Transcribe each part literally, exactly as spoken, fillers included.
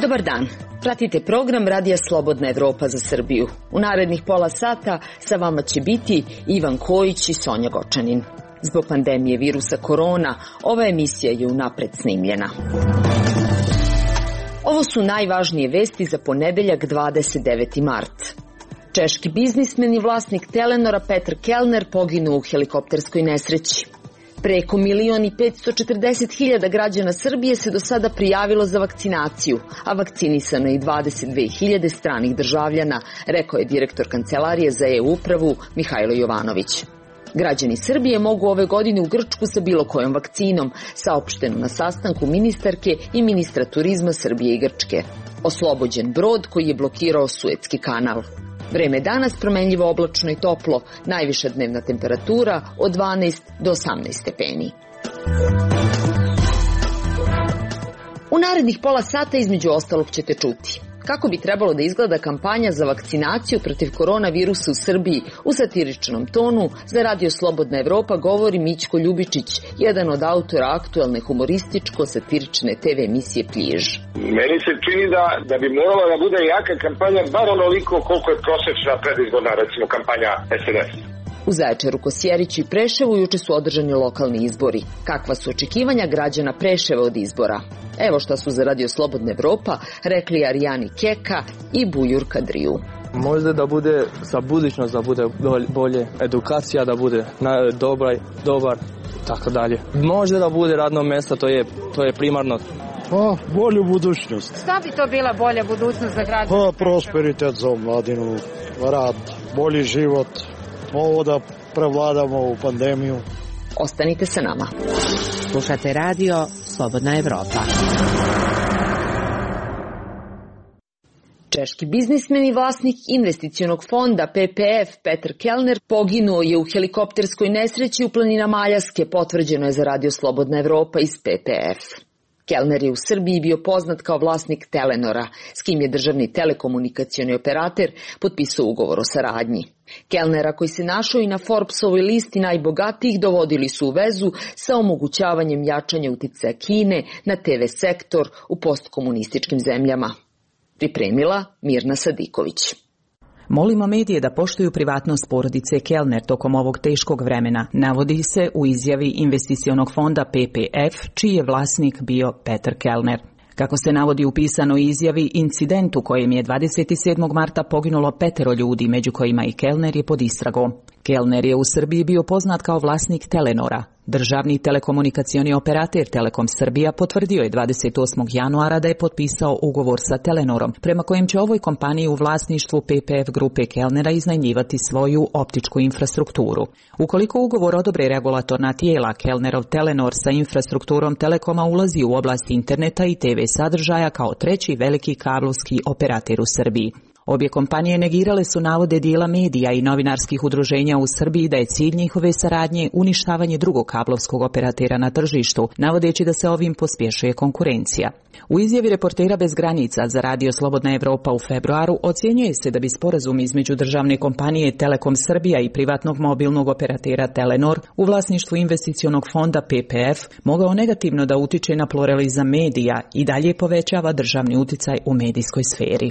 Dobar dan. Pratite program Radija Slobodna Evropa za Srbiju. U narednih pola sata sa vama će biti Ivan Kojić i Sonja Gočanin. Zbog pandemije virusa korona, ova emisija je unapred snimljena. Ovo su najvažnije vesti za ponedeljak dvadeset deveti mart. Češki biznismen i vlasnik Telenora Petr Kellner poginuo u helikopterskoj nesreći. Preko milion i petsto četrdeset hiljada građana Srbije se do sada prijavilo za vakcinaciju, a vakcinisano je i dvadeset dve hiljade stranih državljana, rekao je direktor Kancelarije za e-upravu Mihajlo Jovanović. Građani Srbije mogu ove godine u Grčku sa bilo kojom vakcinom, saopšteno na sastanku ministarke i ministra turizma Srbije i Grčke. Oslobođen brod koji je blokirao Suetski kanal. Vreme danas promenljivo, oblačno i toplo, najviša dnevna temperatura od dvanaest do osamnaest stepeni. U narednih pola sata između ostalog ćete čuti kako bi trebalo da izgleda kampanja za vakcinaciju protiv koronavirusa u Srbiji. U satiričnom tonu za Radio Slobodna Evropa govori Mićko Ljubičić, jedan od autora aktuelne humorističko-satirične te ve emisije Pljiž. Meni se čini da, da bi morala da bude jaka kampanja, bar onoliko koliko je prosečna predizborna, recimo, kampanja es en es. U Zaječaru, Kosjeriću i Preševu juče su održani lokalni izbori. Kakva su očekivanja građana Preševa od izbora? Evo šta su za Radio Slobodna Evropa rekli Arijani Keka i Bujur Kadriju. Možda da bude za budućnost, da bude bolje, edukacija da bude dobra, dobar, tako dalje. Možda da bude radno mjesto, to je, to je primarno. Pa, bolju budućnost. Šta bi to bila bolja budućnost za građane? Pa, prosperitet za mladinu, rad, bolji život, ovo da prevladamo u pandemiju. Ostanite sa nama. Slušate Radio Slobodna Evropa. Češki biznismen i vlasnik investicionog fonda pe pe ef Petr Kellner poginuo je u helikopterskoj nesreći u planinama Aljaske, potvrđeno je za Radio Slobodna Evropa iz pe pe ef. Kellner je u Srbiji bio poznat kao vlasnik Telenora, s kim je državni telekomunikacioni operater potpisao ugovor o saradnji. Kellnera, koji se našao i na Forbesovoj listi najbogatijih, dovodili su u vezu sa omogućavanjem jačanja uticaja Kine na te ve sektor u postkomunističkim zemljama. Pripremila Mirna Sadiković. Molimo medije da poštuju privatnost porodice Kellner tokom ovog teškog vremena, navodi se u izjavi investicionog fonda pe pe ef, čiji je vlasnik bio Petr Kellner. Kako se navodi u pisanoj izjavi, incident u kojem je dvadeset sedmog marta poginulo petero ljudi, među kojima i Kellner, je pod istragom. Kellner je u Srbiji bio poznat kao vlasnik Telenora. Državni telekomunikacioni operater Telekom Srbija potvrdio je dvadeset osmog januara da je potpisao ugovor sa Telenorom, prema kojem će ovoj kompaniji u vlasništvu pe pe ef grupe Kellnera iznajmljivati svoju optičku infrastrukturu. Ukoliko ugovor odobre regulatorna tijela, Kellnerov Telenor sa infrastrukturom Telekoma ulazi u oblast interneta i te ve sadržaja kao treći veliki kablovski operater u Srbiji. Obje kompanije negirale su navode dijela medija i novinarskih udruženja u Srbiji da je cilj njihove saradnje uništavanje drugog kablovskog operatera na tržištu, navodeći da se ovim pospješuje konkurencija. U izjavi Reportera bez granica za Radio Slobodna Evropa u februaru ocjenjuje se da bi sporazum između državne kompanije Telekom Srbija i privatnog mobilnog operatera Telenor u vlasništvu investicionog fonda pe pe ef mogao negativno da utiče na pluralizam medija i dalje povećava državni uticaj u medijskoj sferi.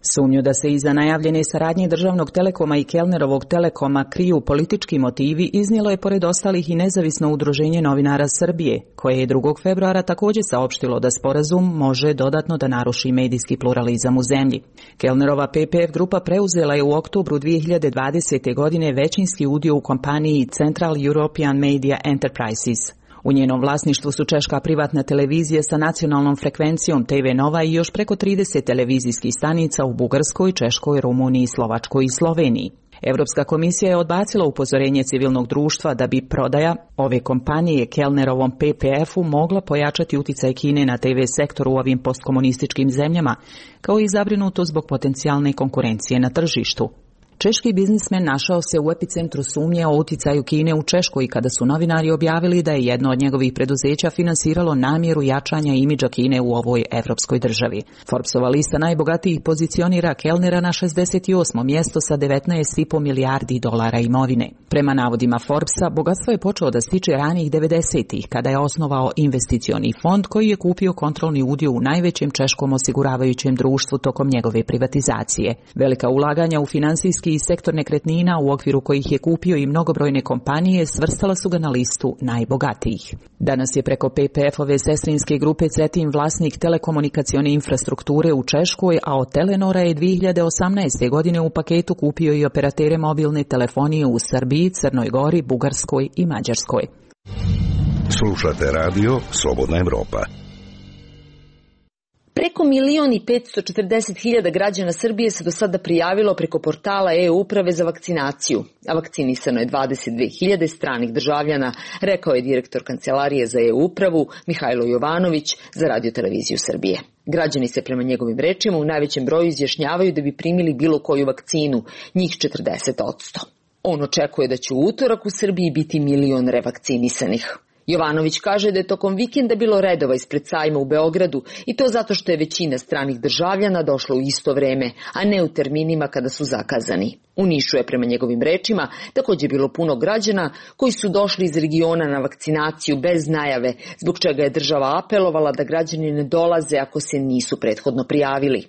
Sumnju da se iza najavljene saradnje državnog Telekoma i Kellnerovog Telekoma kriju politički motivi iznijelo je pored ostalih i nezavisno udruženje novinara Srbije, koje je drugog februara također saopštilo da sporazum može dodatno da naruši medijski pluralizam u zemlji. Kellnerova pe pe ef grupa preuzela je u oktobru dvije hiljade dvadesete. godine većinski udio u kompaniji Central European Media Enterprises. U njenom vlasništvu su češka privatna televizija sa nacionalnom frekvencijom te ve Nova i još preko trideset televizijskih stanica u Bugarskoj, Češkoj, Rumuniji, Slovačkoj i Sloveniji. Europska komisija je odbacila upozorenje civilnog društva da bi prodaja ove kompanije Kellnerovom pe pe efu mogla pojačati uticaj Kine na te ve sektoru u ovim postkomunističkim zemljama, kao i zabrinuto zbog potencijalne konkurencije na tržištu. Češki biznismen našao se u epicentru sumnje o uticaju Kine u Češkoj kada su novinari objavili da je jedno od njegovih preduzeća finansiralo namjeru jačanja imidža Kine u ovoj evropskoj državi. Forbesova lista najbogatijih pozicionira Kellnera na šezdeset osmo mjesto sa devetnaest i po milijardi dolara imovine. Prema navodima Forbesa, bogatstvo je počeo da stiče ranih devedesetih kada je osnovao investicioni fond koji je kupio kontrolni udio u najvećem češkom osiguravajućem društvu tokom njegove privatizacije. Velika ulaganja u finansijski i sektor nekretnina u okviru kojih je kupio i mnogobrojne kompanije svrstala su ga na listu najbogatijih. Danas je preko P P F-ove sestrinske grupe Cetin vlasnik telekomunikacione infrastrukture u Češkoj, a od Telenora je dvije hiljade osamnaeste. godine u paketu kupio i operatere mobilne telefonije u Srbiji, Crnoj Gori, Bugarskoj i Mađarskoj. Slušate radio Slobodna Evropa. Preko milion i petsto četrdeset hiljada građana Srbije se do sada prijavilo preko portala e-uprave za vakcinaciju, a vakcinisano je dvadeset dve hiljade stranih državljana, rekao je direktor Kancelarije za e-upravu Mihajlo Jovanović za Radio televiziju Srbije. Građani se prema njegovim rečima u najvećem broju izjašnjavaju da bi primili bilo koju vakcinu, njih četrdeset posto. On očekuje da će u utorak u Srbiji biti milion revakcinisanih. Jovanović kaže da je tokom vikenda bilo redova ispred sajma u Beogradu i to zato što je većina stranih državljana došla u isto vreme, a ne u terminima kada su zakazani. U Nišu je prema njegovim rečima također bilo puno građana koji su došli iz regiona na vakcinaciju bez najave, zbog čega je država apelovala da građani ne dolaze ako se nisu prethodno prijavili.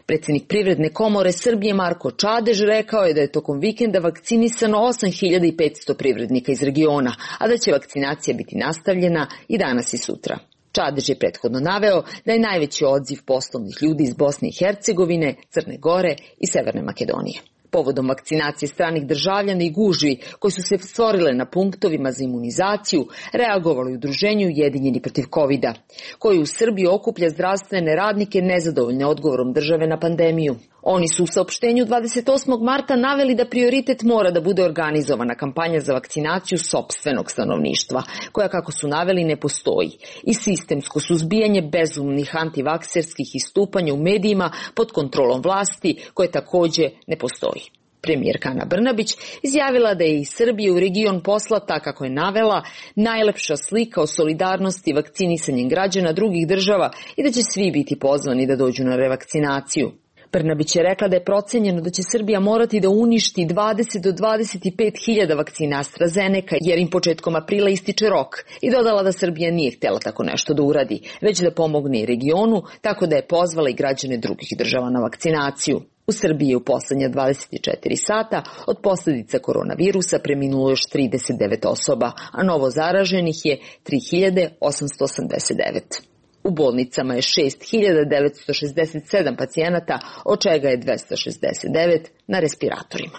Predsjednik Privredne komore Srbije Marko Čadež rekao je da je tokom vikenda vakcinisano osam hiljada petsto privrednika iz regiona, a da će vakcinacija biti nastavljena i danas i sutra. Čadež je prethodno naveo da je najveći odziv poslovnih ljudi iz Bosne i Hercegovine, Crne Gore i Severne Makedonije. Povodom vakcinacije stranih državljana i gužvi koji su se stvorile na punktovima za imunizaciju, reagovalo je udruženje Ujedinjeni protiv kovida, koji u Srbiji okuplja zdravstvene radnike nezadovoljne odgovorom države na pandemiju. Oni su u saopštenju dvadeset osmog marta naveli da prioritet mora da bude organizovana kampanja za vakcinaciju sopstvenog stanovništva, koja, kako su naveli, ne postoji, i sistemsko suzbijanje bezumnih antivakserskih istupanja u medijima pod kontrolom vlasti, koje također ne postoji. Premijerka Ana Brnabić izjavila da je iz Srbije u region poslata, kako je navela, najlepša slika o solidarnosti vakcinisanjem građana drugih država i da će svi biti pozvani da dođu na revakcinaciju. Brnabić je rekla da je procenjeno da će Srbija morati da uništi dvadeset do dvadeset pet hiljada vakcina AstraZeneca jer im početkom aprila ističe rok i dodala da Srbija nije htjela tako nešto da uradi, već da pomogne i regionu, tako da je pozvala i građane drugih država na vakcinaciju. U Srbiji je u poslednja dvadeset četiri sata od posljedica koronavirusa preminulo još trideset devet osoba, a novo zaraženih je tri hiljade osamsto osamdeset devet. U bolnicama je šest hiljada devetsto šezdeset sedam pacijenata, od čega je dvesta šezdeset devet na respiratorima.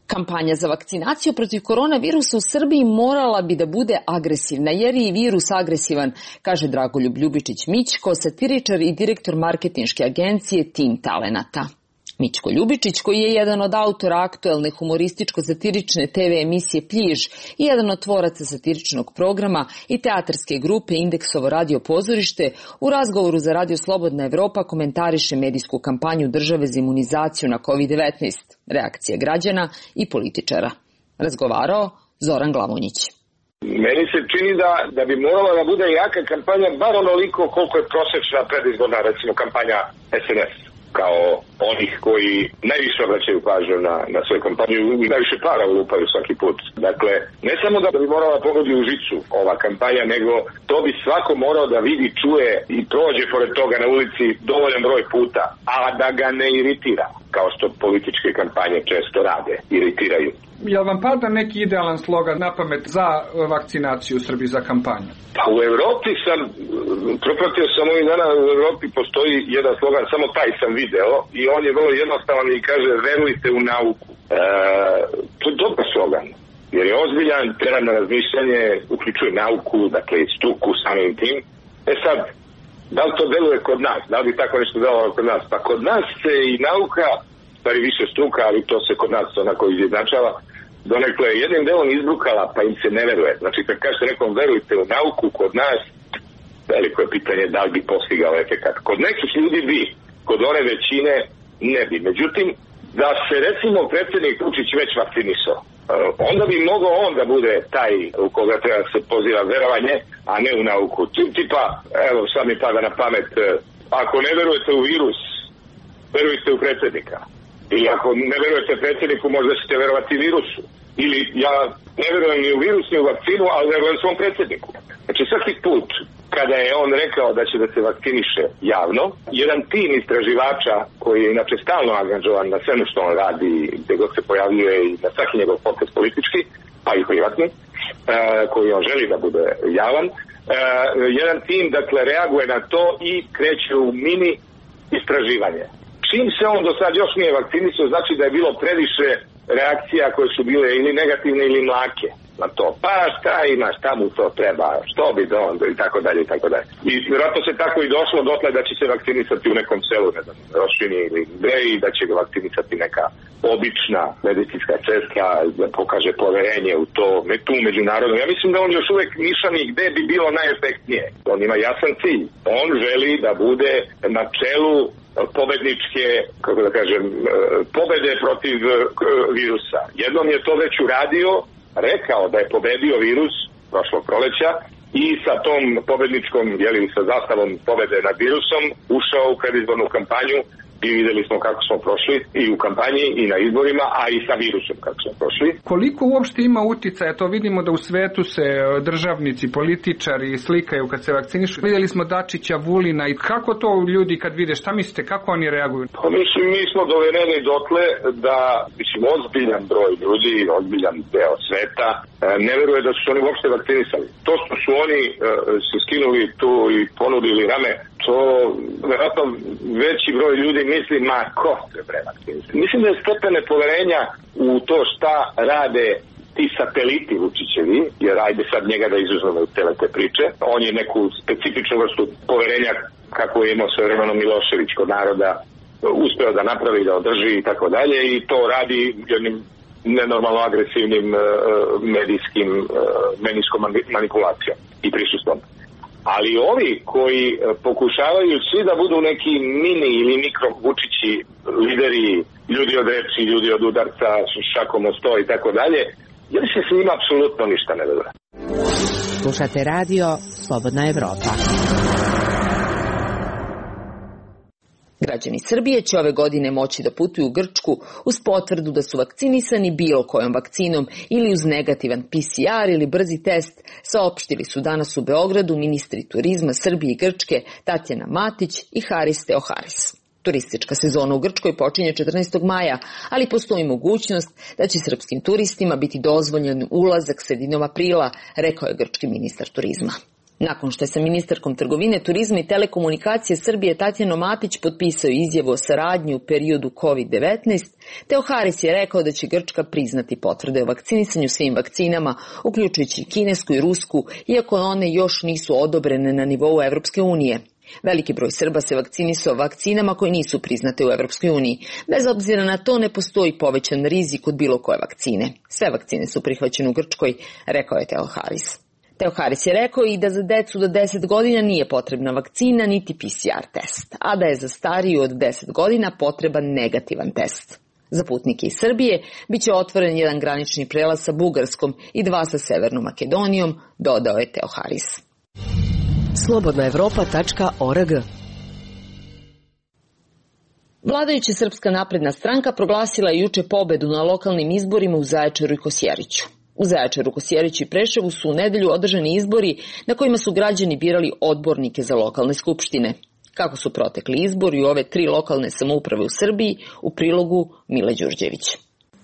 Kampanja za vakcinaciju protiv koronavirusa u Srbiji morala bi da bude agresivna, jer je i virus agresivan, kaže Dragoljub Ljubičić-Mićko, satiričar i direktor marketinške agencije Tim Talenata. Mićko Ljubičić, koji je jedan od autora aktuelne humorističko-satirične te ve emisije Pljiž i jedan od tvoraca satiričnog programa i teatarske grupe Indeksovo radio pozorište, u razgovoru za Radio Slobodna Evropa komentariše medijsku kampanju države za imunizaciju na kovid devetnaest, reakcije građana i političara. Razgovarao Zoran Glavonjić. Meni se čini da, da bi morala da bude jaka kampanja, bar onoliko koliko je prosečna predizborna, recimo, kampanja es en es. Kao onih koji najviše obraćaju pažnju na, na svoju kampanju i najviše para ulupaju svaki put. Dakle, ne samo da bi morala pogodi u žicu ova kampanja, nego to bi svako morao da vidi, čuje i prođe pored toga na ulici dovoljan broj puta, a da ga ne iritira, kao što političke kampanje često rade, iritiraju. Jel vam pada neki idealan slogan na pamet za vakcinaciju u Srbiji, za kampanju? Pa u Evropi sam, propratio sam ovih dana, u Evropi postoji jedan slogan, samo taj sam video i on je vrlo jednostavan i kaže verujte u nauku. E, to je dobar slogan, jer je ozbiljan, tera na razmišljanje, uključuje nauku, dakle struku samim tim. E sad, da li to deluje kod nas? Da li bi tako nešto delovalo kod nas? Pa kod nas se i nauka, stvari više struka, ali to se kod nas onako izjednačava, donekle jednim delom izbrukala, pa im se ne veruje. Znači, kad kažete nekom verujte u nauku, kod nas, veliko je pitanje da li bi postigao efekat. Kod nekih ljudi bi, kod kod one većine ne bi. Međutim, da se recimo predsjednik Vučić već vakcinisao, onda bi mogao on da bude taj u koga treba se poziva verovanje, a ne u nauku. Tipa, evo sad mi pada na pamet, ako ne verujete u virus, verujte u predsjednika. Ili ako ne verujete predsjedniku, možda ćete verovati virusu. Ili ja ne verujem ni u virus, ni u vakcinu, ali verujem svom predsjedniku. Znači svaki put kada je on rekao da će da se vakciniše javno, jedan tim istraživača koji je inače stalno angažovan na svemu što on radi, gdje god se pojavljuje i na svaki njegov potez politički, pa i privatni, uh, koji on želi da bude javan, uh, jedan tim dakle reaguje na to i kreće u mini istraživanje. Čim se on do sad još nije vakcinisao, znači da je bilo previše reakcija koje su bile ili negativne ili mlake na to. Pa šta ima, šta mu to treba, što bi do onda i tako dalje i tako dalje. I vjerojatno se tako i došlo dotle da će se vakcinisati u nekom selu, ne znam, Rošini ili gde, i da će ga vakcinisati neka obična medicinska sestra, da pokaže poverenje u to, tu međunarodno. Ja mislim da on još uvek nišani gde bi bilo najefektnije. On ima jasan cilj. On želi da bude na čelu pobedničke, kako da kažem, pobede protiv virusa. Jednom je to već uradio, rekao da je pobedio virus prošlog proleća i sa tom pobedničkom, jeli, sa zastavom pobede nad virusom ušao u predizbornu kampanju i videli smo kako smo prošli i u kampanji i na izborima, a i sa virusom kako smo prošli. Koliko uopšte ima uticaja? To vidimo da u svetu se državnici, političari slikaju kad se vakcinišu. Videli smo Dačića, Vulina, i kako to ljudi kad vide, šta mislite, kako oni reaguju? Pa mislim, mi smo dovedeni dotle da, mislim, ozbiljan broj ljudi, ozbiljan deo sveta ne veruje da su oni uopšte vakcinisali. To što su oni uh, se skinuli tu i ponudili rame, to vjerojatno veći broj ljudi misli, ma ko se bre vakcinisati. Mislim da je stepen nepoverenja u to šta rade ti sateliti Vučićevi, jer ajde sad njega da izuzmemo u tele te priče. On je neku specifičnu vrstu poverenja kako je imao svojevremeno Milošević kod naroda uspeo da napravi, da održi i tako dalje, i to radi jednim nenormalno agresivnim uh, medijskim uh, medijskom manipulacijom i prisustvom. Ali ovi koji pokušavaju svi da budu neki mini ili mikro Vučići, lideri, ljudi od reči, ljudi od udarca, šakom o sto i tako dalje, jer se s njima apsolutno ništa ne dodra. Slušate radio Slobodna Evropa. Građani Srbije će ove godine moći da putuju u Grčku uz potvrdu da su vakcinisani bilo kojom vakcinom ili uz negativan P C R ili brzi test, saopštili su danas u Beogradu ministri turizma Srbije i Grčke Tatjana Matić i Haris Teoharis. Turistička sezona u Grčkoj počinje četrnaestog maja, ali postoji mogućnost da će srpskim turistima biti dozvoljen ulazak sredinom aprila, rekao je grčki ministar turizma. Nakon što je sa ministarkom trgovine, turizma i telekomunikacije Srbije Tatjano Matić potpisao izjavu o saradnji u periodu kovid devetnaest, Teoharis je rekao da će Grčka priznati potvrde o vakcinisanju svim vakcinama, uključujući kinesku i rusku, iako one još nisu odobrene na nivou Evropske unije. Veliki broj Srba se vakcinisao vakcinama koje nisu priznate u Evropskoj uniji. Bez obzira na to ne postoji povećan rizik od bilo koje vakcine. Sve vakcine su prihvaćene u Grčkoj, rekao je Teoharis. Teoharis je rekao i da za decu do deset godina nije potrebna vakcina niti P C R test, a da je za stariju od deset godina potreban negativan test. Za putnike iz Srbije biće otvoren jedan granični prelaz sa Bugarskom i dva sa Severnom Makedonijom, dodao je Teoharis. slobodna evropa tačka org. Vladajuća Srpska napredna stranka proglasila je juče pobedu na lokalnim izborima u Zaječaru i Kosjeriću. U Zaječaru, Kosjeriću i Preševu su u nedelju održani izbori na kojima su građani birali odbornike za lokalne skupštine. Kako su protekli izbori u ove tri lokalne samouprave u Srbiji, u prilogu Mile Đurđević.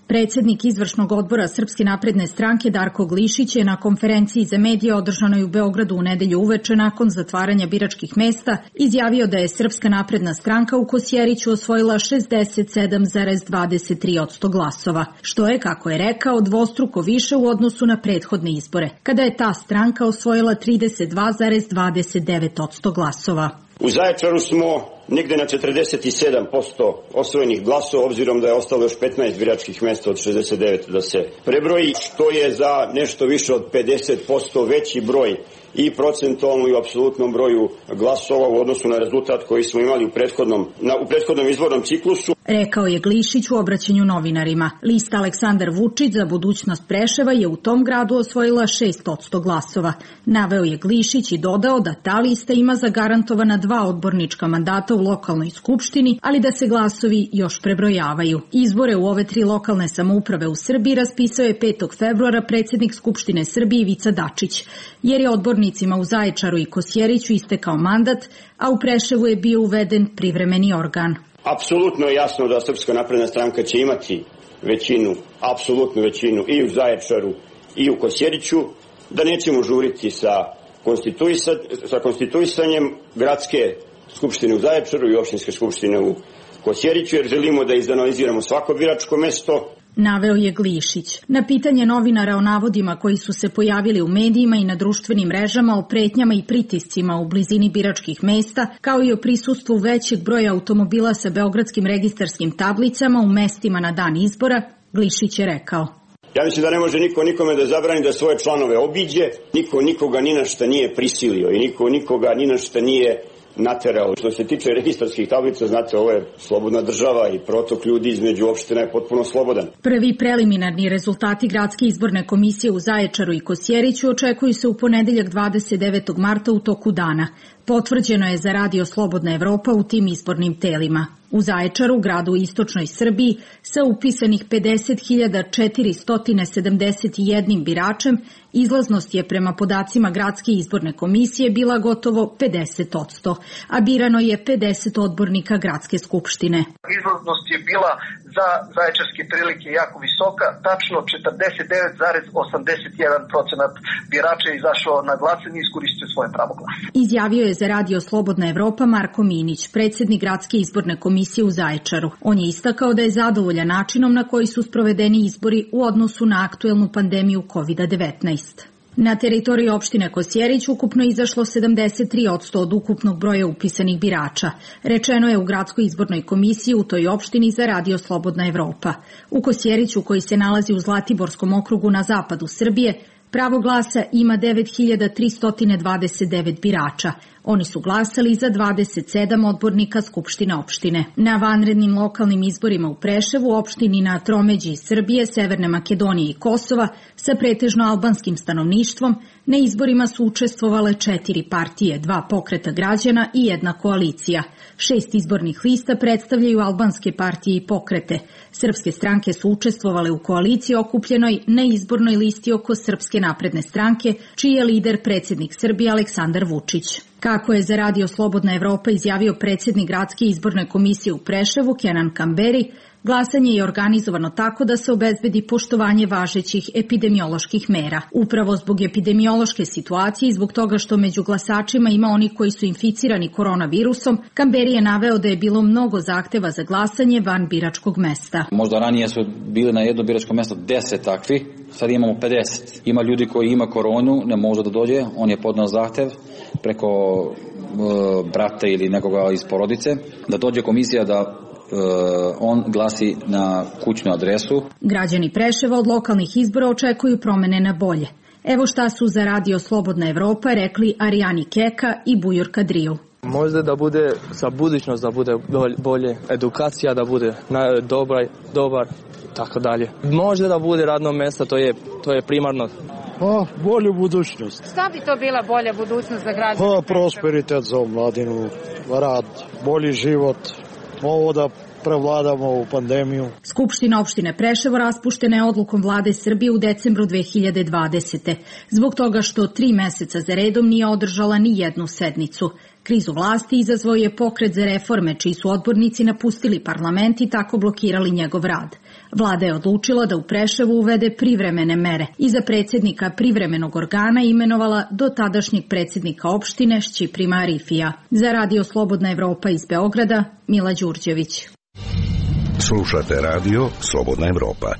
Predsjednik izvršnog odbora Srpske napredne stranke Darko Glišić je na konferenciji za medije održanoj u Beogradu u nedelju uveče nakon zatvaranja biračkih mesta izjavio da je Srpska napredna stranka u Kosjeriću osvojila šezdeset sedam zarez dvadeset tri posto glasova, što je, kako je rekao, dvostruko više u odnosu na prethodne izbore, kada je ta stranka osvojila trideset dva zarez dvadeset devet posto glasova. U Zaječaru smo negde na četrdeset sedam posto osvojenih glasova, obzirom da je ostalo još petnaest biračkih mesta od šezdeset devet da se prebroji, što je za nešto više od pedeset posto veći broj i procentualno i u apsolutnom broju glasova u odnosu na rezultat koji smo imali u prethodnom, na, u prethodnom izbornom ciklusu. Rekao je Glišić u obraćanju novinarima. Lista Aleksandar Vučić za budućnost Preševa je u tom gradu osvojila šest posto glasova. Naveo je Glišić i dodao da ta lista ima zagarantovana dva odbornička mandata u lokalnoj skupštini, ali da se glasovi još prebrojavaju. Izbore u ove tri lokalne samouprave u Srbiji raspisao je petog februara predsjednik Skupštine Srbije Ivica Dačić, jer je odbornicima u Zaječaru i Kosjeriću istekao mandat, a u Preševu je bio uveden privremeni organ. Apsolutno je jasno da Srpska napredna stranka će imati većinu, apsolutnu većinu i u Zaječaru i u Kosjeriću, da nećemo žuriti sa, konstituisa, sa konstituisanjem gradske skupštine u Zaječaru i opštinske skupštine u Kosjeriću, jer želimo da izanaliziramo svako biračko mesto. Naveo je Glišić. Na pitanje novinara o navodima koji su se pojavili u medijima i na društvenim mrežama o pretnjama i pritiscima u blizini biračkih mesta, kao i o prisustvu većeg broja automobila sa beogradskim registarskim tablicama u mestima na dan izbora, Glišić je rekao: Ja mislim da ne može niko nikome da zabrani da svoje članove obiđe, niko nikoga ni na šta nije prisilio i niko nikoga ni na šta nije naterao. Što se tiče registarskih tablica, znate, ovo je slobodna država i protok ljudi između opština je potpuno slobodan. Prvi preliminarni rezultati Gradske izborne komisije u Zaječaru i Kosjeriću očekuju se u ponedeljak dvadeset devetog marta u toku dana. Potvrđeno je za Radio Slobodna Evropa u tim izbornim telima. U Zaječaru, gradu u istočnoj Srbiji, sa upisanih pedeset hiljada četiristo sedamdeset jedan biračem, izlaznost je prema podacima Gradske izborne komisije bila gotovo pedeset posto, a birano je pedeset odbornika Gradske skupštine. Izlaznost je bila za zaječarske prilike jako visoka, tačno četrdeset devet zarez osamdeset jedan procenat birača je izašao na glasanje i iskoristio svoje pravo glasa. Izjavio je za Radio Slobodna Evropa Marko Minić, predsjednik Gradske izborne komisije u Zaječaru. On je istakao da je zadovoljan načinom na koji su sprovedeni izbori u odnosu na aktuelnu pandemiju kovid devetnaest. Na teritoriji opštine Kosjerić ukupno izašlo sedamdeset tri posto od ukupnog broja upisanih birača. Rečeno je u Gradskoj izbornoj komisiji u toj opštini za Radio Slobodna Evropa. U Kosjeriću, koji se nalazi u Zlatiborskom okrugu na zapadu Srbije, pravo glasa ima devet hiljada tristo dvadeset devet birača. Oni su glasali za dvadeset sedam odbornika Skupštine opštine. Na vanrednim lokalnim izborima u Preševu, opštini na tromeđi Srbije, Severne Makedonije i Kosova, sa pretežno albanskim stanovništvom, na izborima su učestvovale četiri partije, dva pokreta građana i jedna koalicija. Šest izbornih lista predstavljaju albanske partije i pokrete. Srpske stranke su učestvovale u koaliciji okupljenoj na izbornoj listi oko Srpske napredne stranke, čiji je lider predsjednik Srbije Aleksandar Vučić. Kako je za Radio Slobodna Evropa izjavio predsjednik Gradske izborne komisije u Preševu Kenan Kamberi, glasanje je organizovano tako da se obezbedi poštovanje važećih epidemioloških mera. Upravo zbog epidemiološke situacije i zbog toga što među glasačima ima oni koji su inficirani koronavirusom, Kamberi je naveo da je bilo mnogo zahteva za glasanje van biračkog mesta. Možda ranije su bili na jedno biračko mesto deset takvi, sad imamo pedeset. Ima ljudi koji ima koronu, ne može da dođe, on je podneo zahtev preko e, brata ili nekoga iz porodice, da dođe komisija da on glasi na kućnu adresu. Građani Preševa od lokalnih izbora očekuju promene na bolje. Evo šta su za Radio Slobodna Evropa rekli Arijani Keka i Bujur Kadriju. Možda da bude sa budućnost, da bude bolje, edukacija da bude dobar, dobar, tako dalje. Možda da bude radno mjesto, to je, to je primarno. Pa, bolju budućnost. Šta bi to bila bolja budućnost za građane? Pa, prosperitet za omladinu, rad, bolji život. Ovo da prevladamo u pandemiju. Skupština opštine Preševo raspuštena je odlukom vlade Srbije u decembru dve hiljade dvadesete. Zbog toga što tri meseca za redom nije održala ni jednu sednicu. Krizu vlasti izazvao je pokret za reforme, čiji su odbornici napustili parlament i tako blokirali njegov rad. Vlada je odlučila da u Preševu uvede privremene mere i za predsjednika privremenog organa imenovala do tadašnjeg predsjednika opštine Šćiprima Arifija. Za Radio Slobodna Evropa iz Beograda, Mila Đurđević. Slušate Radio Slobodna Evropa.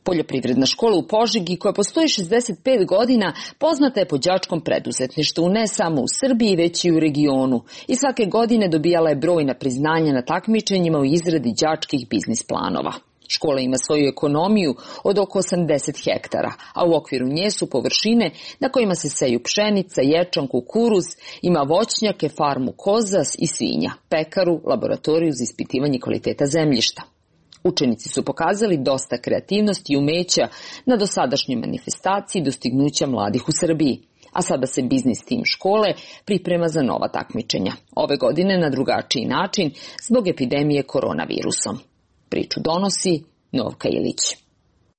Poljoprivredna škola u Požegi, koja postoji šezdeset pet godina, poznata je po đačkom preduzetništvu ne samo u Srbiji, već i u regionu. I svake godine dobijala je brojna priznanja na takmičenjima u izradi đačkih biznis planova. Škola ima svoju ekonomiju od oko osamdeset hektara, a u okviru nje su površine na kojima se seju pšenica, ječam, kukuruz, ima voćnjake, farmu koza i svinja, pekaru, laboratoriju za ispitivanje kvaliteta zemljišta. Učenici su pokazali dosta kreativnosti i umeća na dosadašnjoj manifestaciji dostignuća mladih u Srbiji. A sada se biznis tim škole priprema za nova takmičenja. Ove godine na drugačiji način zbog epidemije koronavirusom. Priču donosi Novka Ilić.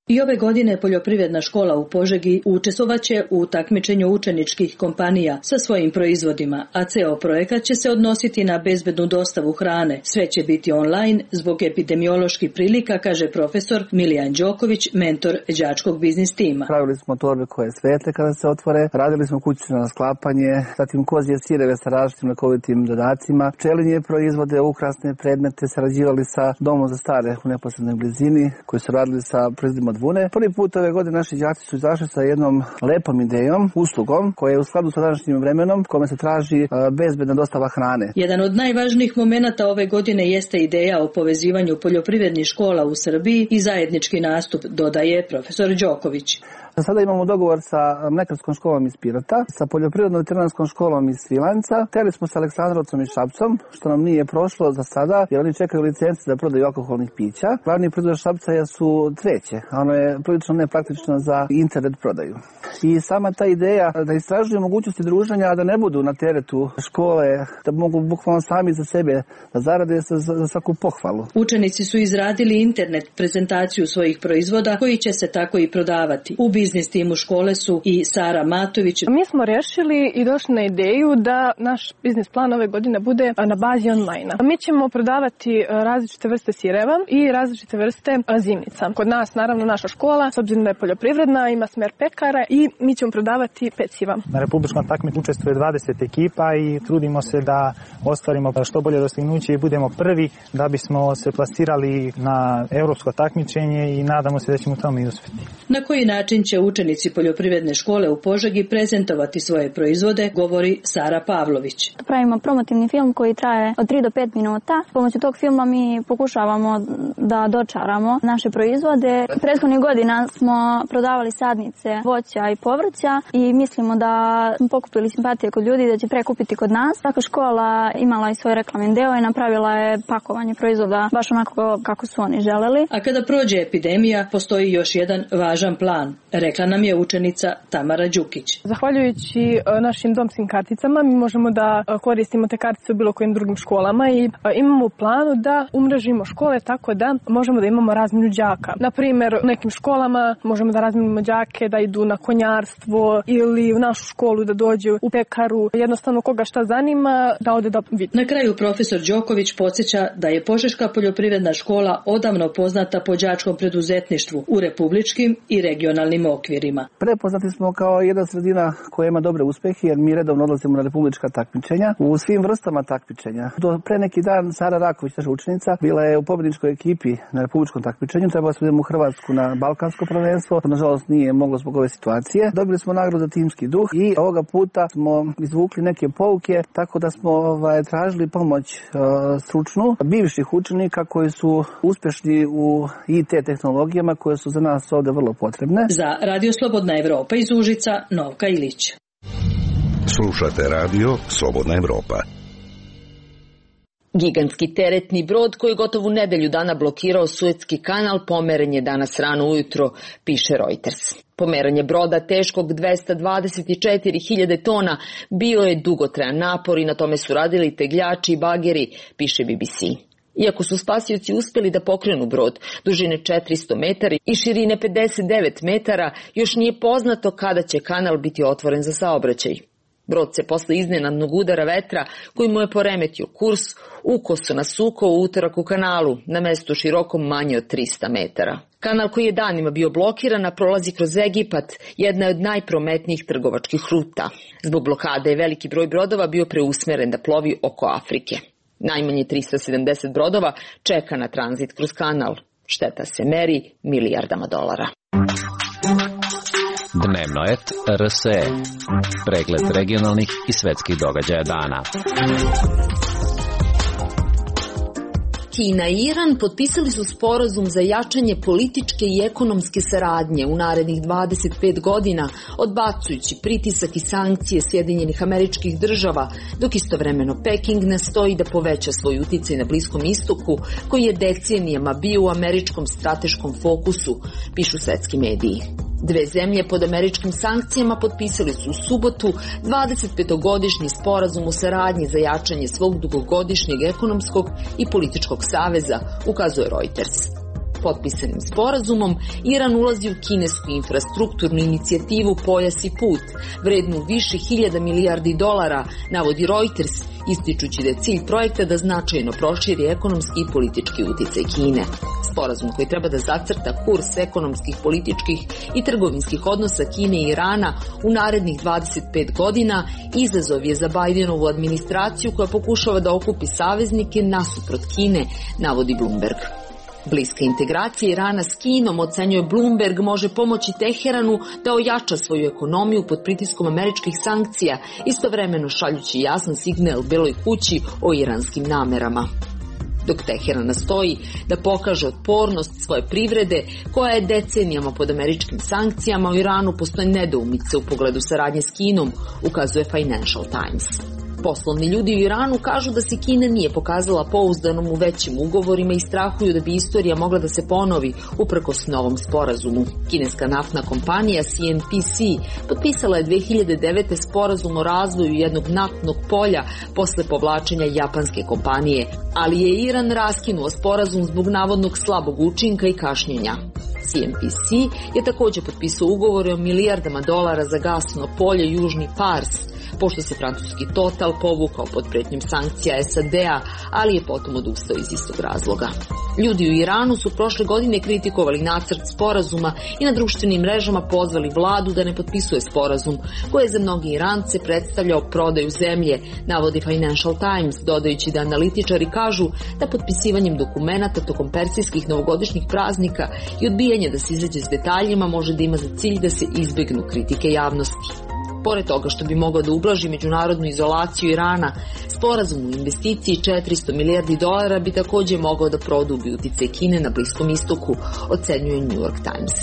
I ove godine Poljoprivredna škola u Požegi učestvovaće u takmičenju učeničkih kompanija sa svojim proizvodima, a ceo projekat će se odnositi na bezbednu dostavu hrane. Sve će biti online zbog epidemioloških prilika, kaže profesor Milijan Đoković, mentor đačkog biznis tima. Pravili smo torbe koje svetle kada se otvore, radili smo kućno sklapanje, zatim kozije sireve sa različitim lekovitim dodacima, pčelinje proizvode, ukrasne predmete, sarađivali sa domom za stare u neposrednoj blizini, koji su radili sa proizvodima od vune. Prvi put ove godine naši đaci su izašli sa jednom lepom idejom, uslugom, koja je u skladu sa današnjim vremenom, kome se traži bezbedna dostava hrane. Jedan od najvažnijih momenata ove godine jeste ideja o povezivanju poljoprivrednih škola u Srbiji i zajednički nastup, dodaje profesor Đoković. Sada imamo dogovor sa mlekarskom školom iz Pirota, sa poljoprivredno-veterinarskom školom iz Svilanca. Hteli smo sa Aleksandrovcom i Šapcom, što nam nije prošlo za sada, jer oni čekaju licence za prodaju alkoholnih pića. Glavni proizvod Šapca su treće, a ono je prilično nepraktično za internet prodaju. I sama ta ideja da istražuju mogućnosti druženja, a da ne budu na teretu škole, da mogu bukvalno sami za sebe da zarade za, za svaku pohvalu. Učenici su izradili internet prezentaciju svojih proizvoda koji će se tako i prodavati. U biznis timu škole su i Sara Matović. Mi smo rešili i došli na ideju da naš biznis plan ove godine bude na bazi online-a. Mi ćemo prodavati različite vrste sireva i različite vrste zimnica. Kod nas, naravno, naša škola, s obzirom da je poljoprivredna, ima smer pekara i mi ćemo prodavati peciva. Na republičkom takmičenju učestvuje dvadeset ekipa i trudimo se da ostvarimo što bolje dostignuće i budemo prvi da bismo se plasirali na evropsko takmičenje i nadamo se da ćemo u tome i uspjeti. Na koji način će učenici Poljoprivredne škole u Požegi prezentovati svoje proizvode, govori Sara Pavlović. Pravimo promotivni film koji traje od tri do pet minuta. S pomoću tog filma mi pokušavamo da dočaramo naše proizvode. Prethodnih godina smo prodavali sadnice voća i povrća i mislimo da smo pokupili simpatije kod ljudi da će prekupiti kod nas. Svaka škola imala i svoj reklamni deo i napravila je pakovanje proizvoda baš onako kako su oni želeli. A kada prođe epidemija, postoji još jedan važan plan, rekla nam je učenica Tamara Đukić. Zahvaljujući našim domskim karticama mi možemo da koristimo te kartice u bilo kojim drugim školama i imamo u planu da umrežimo škole tako da možemo da imamo razmjenu đaka. Na primjer, u nekim školama možemo da razmjenimo đake da idu na konjarstvo ili u našu školu da dođu u pekaru. Jednostavno koga šta zanima da ode da vidi. Na kraju profesor Đoković podsjeća da je Požeška poljoprivredna škola odavno poznata po đačkom preduzetništvu u republičkim i regionalnim okvirima. Prepoznati smo kao jedna sredina koja ima dobre uspehe jer mi redovno odlazimo na republička takmičenja u svim vrstama takmičenja. Do pre neki dan Sara Raković, naša učenica, bila je u pobedničkoj ekipi na republičkom takmičenju. Trebalo smo idemo u Hrvatsku na balkansko prvenstvo. Nažalost nije moglo zbog ove situacije. Dobili smo nagradu za timski duh i ovoga puta smo izvukli neke pouke tako da smo ovaj, tražili pomoć uh, stručnu bivših učenika koji su uspešni u I T tehnologijama koje su za nas ovde vrlo potrebne. Za Radio Slobodna Evropa iz Užica, Novka Ilić. Slušate Radio Slobodna Evropa. Gigantski teretni brod koji gotovo nedelju dana blokirao Suetski kanal pomeren je danas rano ujutro, piše Reuters. Pomeranje broda teškog dvesta dvadeset četiri hiljade tona bio je dugotrajan napor i na tome su radili tegljači i bageri, piše B B C. Iako su spasioci uspjeli da pokrenu brod dužine četiristo metara i širine pedeset devet metara, još nije poznato kada će kanal biti otvoren za saobraćaj. Brod se posle iznenadnog udara vetra koji mu je poremetio kurs ukoso nasukao u utorak u kanalu na mestu širokom manje od trista metara. Kanal koji je danima bio blokiran, a prolazi kroz Egipat, jedna je od najprometnijih trgovačkih ruta. Zbog blokade je veliki broj brodova bio preusmeren da plovi oko Afrike. Najmanje trista sedamdeset brodova čeka na tranzit kroz kanal. Šteta se meri milijardama dolara. Dnevnoet R S E. Pregled regionalnih i svetskih događaja dana. Kina i Iran potpisali su sporazum za jačanje političke i ekonomske saradnje u narednih dvadeset pet godina, odbacujući pritisak i sankcije Sjedinjenih Američkih Država, dok istovremeno Peking nastoji da poveća svoj uticaj na Bliskom istoku, koji je decenijama bio u američkom strateškom fokusu, pišu svetski mediji. Dve zemlje pod američkim sankcijama potpisali su u subotu dvadesetpetogodišnji sporazum o saradnji za jačanje svog dugogodišnjeg ekonomskog i političkog saveza, ukazuje Reuters. Potpisanim sporazumom Iran ulazi u kinesku infrastrukturnu inicijativu Pojas i put, vrednu više hiljada milijardi dolara, navodi Reuters, ističući da je cilj projekta da značajno proširi ekonomski i politički uticaj Kine. Sporazum koji treba da zacrta kurs ekonomskih, političkih i trgovinskih odnosa Kine i Irana u narednih dvadeset pet godina izazov je za Bajdenovu administraciju koja pokušava da okupi saveznike nasuprot Kine, navodi Bloomberg. Bliska integracija Irana s Kinom, ocenjuje Bloomberg, može pomoći Teheranu da ojača svoju ekonomiju pod pritiskom američkih sankcija, istovremeno šaljući jasan signal Beloj kući o iranskim namerama. Dok Teheran nastoji da pokaže otpornost svoje privrede, koja je decenijama pod američkim sankcijama, u Iranu postoje nedoumice u pogledu saradnje s Kinom, ukazuje Financial Times. Poslovni ljudi u Iranu kažu da se Kina nije pokazala pouzdanom u većim ugovorima i strahuju da bi istorija mogla da se ponovi uprkos novom sporazumu. Kineska naftna kompanija C N P C potpisala je dve hiljade devete. sporazum o razvoju jednog naftnog polja posle povlačenja japanske kompanije, ali je Iran raskinuo sporazum zbog navodnog slabog učinka i kašnjenja. C N P C je također potpisao ugovore o milijardama dolara za gasno polje Južni Pars, pošto se francuski Total povukao pod pretnjom sankcija S A D-a, ali je potom odustao iz istog razloga. Ljudi u Iranu su prošle godine kritikovali nacrt sporazuma i na društvenim mrežama pozvali vladu da ne potpisuje sporazum, koji je za mnogi Irance predstavljao prodaju zemlje, navodi Financial Times, dodajući da analitičari kažu da potpisivanjem dokumenata tokom persijskih novogodišnjih praznika i odbijanje da se izađe s detaljima može da ima za cilj da se izbegnu kritike javnosti. Pored toga što bi mogao da ublaži međunarodnu izolaciju Irana, sporazum u investiciji četiristo milijardi dolara bi također mogao da produbi uticaj Kine na Bliskom istoku, ocenjuje New York Times.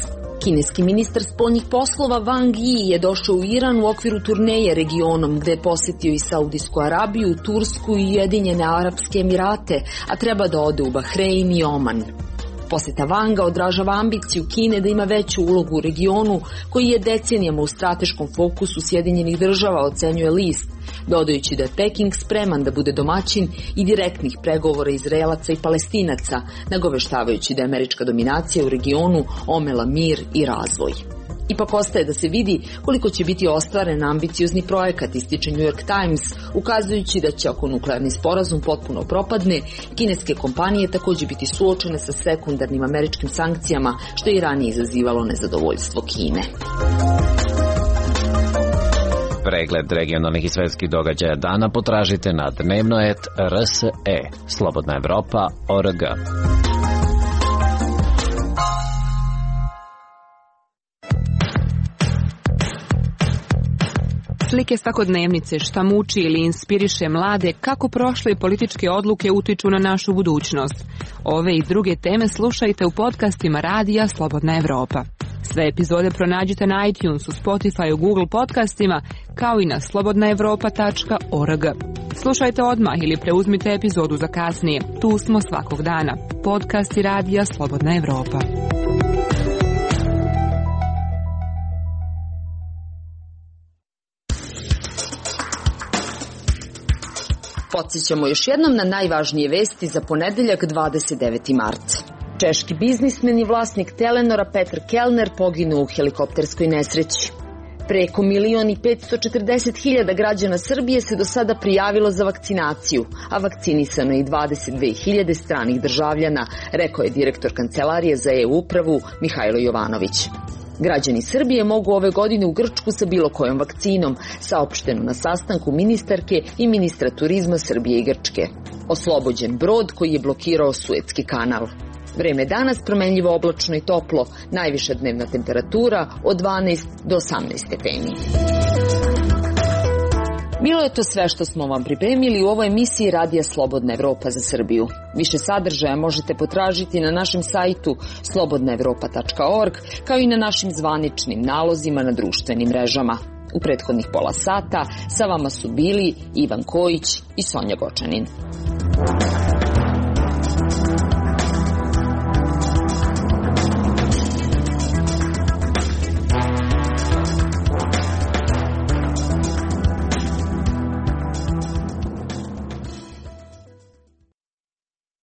Kineski ministar spoljnih poslova Wang Yi je došao u Iran u okviru turneje regionom, gde je posjetio i Saudijsku Arabiju, Tursku i Ujedinjene Arapske Emirate, a treba da ode u Bahrein i Oman. Posjeta Wanga odražava ambiciju Kine da ima veću ulogu u regionu, koji je decenijama u strateškom fokusu Sjedinjenih Država, ocenjuje list, dodajući da je Peking spreman da bude domaćin i direktnih pregovora Izraelaca i Palestinaca, nagoveštavajući da je američka dominacija u regionu omela mir i razvoj. Ipak ostaje da se vidi koliko će biti ostvaren ambiciozni projekat, ističe New York Times, ukazujući da će, ako nuklearni sporazum potpuno propadne, kineske kompanije također biti suočene sa sekundarnim američkim sankcijama, što je i ranije izazivalo nezadovoljstvo Kine. Pregled regionalnih i svetskih događaja dana potražite na dnevnoet R S E, Slobodna Evropa, O R G. Slike svakodnevnice, šta muči ili inspiriše mlade, kako prošle političke odluke utiču na našu budućnost. Ove i druge teme slušajte u podcastima Radija Slobodna Evropa. Sve epizode pronađite na iTunesu, Spotify, Google podcastima, kao i na slobodna evropa tačka org. Slušajte odmah ili preuzmite epizodu za kasnije. Tu smo svakog dana. Podcasti Radija Slobodna Evropa. Podsjećamo još jednom na najvažnije vesti za ponedeljak dvadeset deveti mart. Češki biznismen i vlasnik Telenora Petr Kellner poginuo u helikopterskoj nesreći. Preko milion i petsto četrdeset hiljada građana Srbije se do sada prijavilo za vakcinaciju, a vakcinisano je i dvadeset dve hiljade stranih državljana, rekao je direktor Kancelarije za e-upravu Mihajlo Jovanović. Građani Srbije mogu ove godine u Grčku sa bilo kojom vakcinom, saopšteno na sastanku ministarke i ministra turizma Srbije i Grčke. Oslobođen brod koji je blokirao Suetski kanal. Vreme danas promenljivo oblačno i toplo, najviša dnevna temperatura od dvanaest do osamnaest stepeni. Bilo je to sve što smo vam pripremili u ovoj emisiji Radija Slobodna Evropa za Srbiju. Više sadržaja možete potražiti na našem sajtu slobodna evropa tačka org, kao i na našim zvaničnim nalozima na društvenim mrežama. U prethodnih pola sata sa vama su bili Ivan Kojić i Sonja Gočanin.